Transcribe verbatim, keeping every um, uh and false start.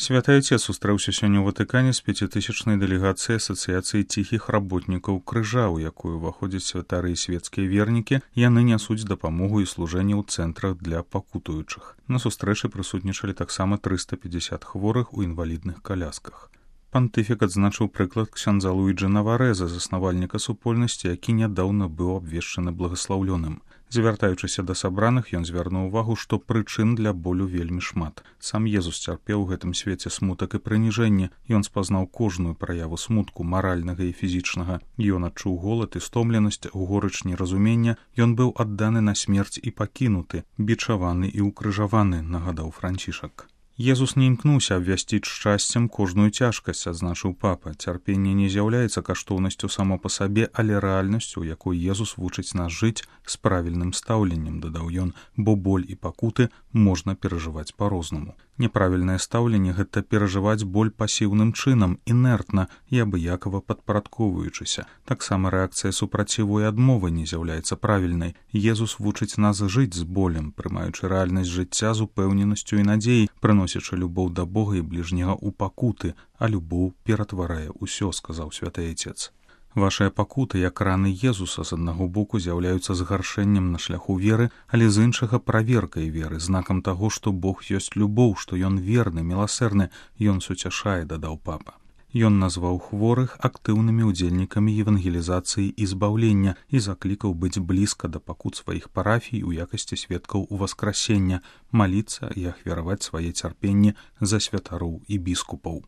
Святы Отец сустрэўся сёння ў Ватыкане з пяцітысячнай дэлегацыяй Асацыяцыі ціхіх работнікаў крыжа, у якую ўваходзяць святары і свецкія вернікі. Яны нясуць дапамогу і служэнне ў цэнтрах для пакутуючых. На сустрэчы прысутнічалі таксама трыста пятьдесят хворых у інвалідных калясках. Пантыфік адзначыў прыклад ксяндза Луіджы Наварэза, заснавальніка супольнасці, які нядаўна быў абвешчаны благаслаўлёным. Звяртаючыся да сабраных, ён звярнуў увагу, што прычын для болю вельмі шмат. Сам Езус цярпеў у гэтым свеце смутак і прыніжэнне. Ён спазнаў кожную праяву смутку, маральнага і фізічнага. Ён адчуў голад і стомленасць, горыч неразумення. Ён быў адданы на смерць і пакінуты, бичаваны і ўкрыжаваны, нагадаў Францішак. Езус не імкнуўся абвясціць шчасцем кожную цяжкасць, адзначыў папа. Цярпенне не з'яўляецца каштоўнасцю само па сабе, але рэальнасцю, у якой Езус вучыць нас жыць з правільным стаўленнем, дадаў ён, бо боль і пакуты можна перажываць па-рознаму. Няправільнае стаўленне — гэта перажываць боль пасіўным чынам, інертна і абыякава падпарадковваючыся. Таксама рэакцыя супраціву і адмовы не з'яўляецца правільнай. Езус вучыць нас жыць з болем, прымаючы рэальнасць жыцця з упэўненасцю і надзеяй, прыносячы любоў да Бога і бліжняга ў пакуты, а любоў ператварае ўсё, сказаў святы Отец. Вашыя пакуты, як раны Езуса, з аднаго боку з'яўляюцца згаршэннем на шляху веры, але з іншага праверкай веры, знакам таго, што Бог ёсць любоў, што ён верны, міласэрны, ён суцяшае, дадаў папа. Ён назваў хворых актыўнымі ўдзельнікамі евангелізацыі і збаўлення і заклікаў быць блізка да пакут сваіх парафій у якасці сведкаў уваскрасення, маліцца і ахвяраваць свае цярпенні за святароў і біскупаў.